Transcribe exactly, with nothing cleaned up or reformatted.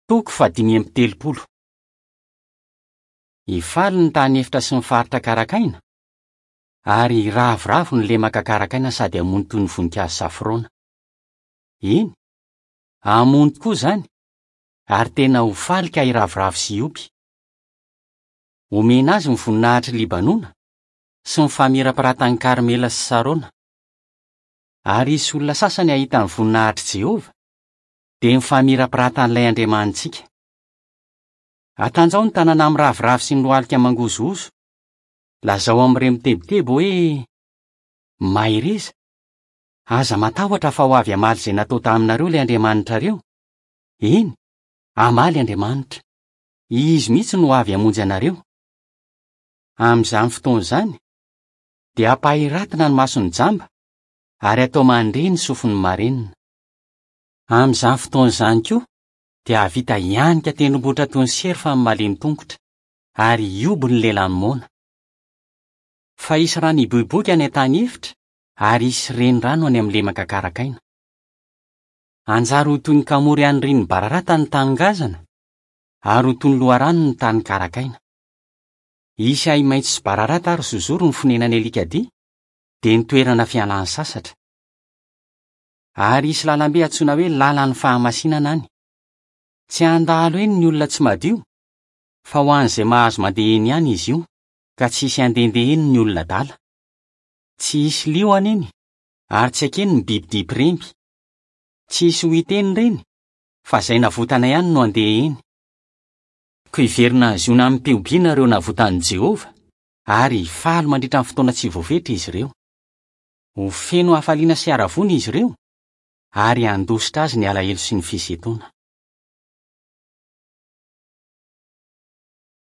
Toko fahadimy amby telopolo. Hifaly ny tany efitra sy ny faritra karakaina, ary hiravoravo ny lemaka karakaina sady hamono toy ny voninkazo safrona. Eny, hamono tokoa izany, ary tena ho faly ka hiravoravo sy hiompy. Homena azy ny voninahitr'i Libanona sy ny famirapiratan'i Karmela sy Sarona. Ary hisy olona sasany hahita ny voninahitr'i Jehovah, dia ny famirapiratan'ilay Andriamanitsika. Atanjaho ny tanana miraviravy sy ny lohalika mangozohozo. Lazao amin'ireo mitebiteby hoe: "Mahereza, aza matahotra fa ho avy hamaly izay natao taminareo ilay Andriamanitrareo. Eny, hamaly Andriamanitra. Izy mihitsy no ho avy hamonjy anareo." Amin'izany fotoana izany, dia hampahiratina ny mason'ny jamba ary hatao mandre ny sofin'ny marenina. Amin'izany fotoana izany koa, dia hahavita hianika tendrombohitra toy ny serfa ny malemy tongotra, ary hihoby ny lelan'ny moana. Fa hisy rano hiboiboika any an-tany efitra, ary hisy renirano any amin'ny lemaka karakaina. Hanjary ho toy ny kamory anirian'ny bararata ny tany ngazana, ary ho toy ny loharano ny tany karakaina. Hisy ahi-maitso sy bararata ary zozoro ny fonenan'ny alikadia, dia ny toerana fialany sasatra. Ary hisy lalambe antsoina hoe lalan'ny fahamasinana any. Tsy handalo eny ny olona tsy madio, fa ho an'izay mahazo mandeha eny ihany izy io, ka tsy hisy handehandeha eny ny olona adala. Tsy hisy liona eny, ary tsy hakeny ny bibidia mpiremby. Tsy hisy ho hita eny ireny, fa izay navotana ihany no handeha eny. Koa hiverina any Ziona amim-pihobiana ireo navotan'i Jehovah, ary hifaly mandritra ny fotoana tsy voafetra izy ireo. Ho feno hafaliana sy haravoana izy ireo, ary handositra azy ny alahelo sy ny fisentoana.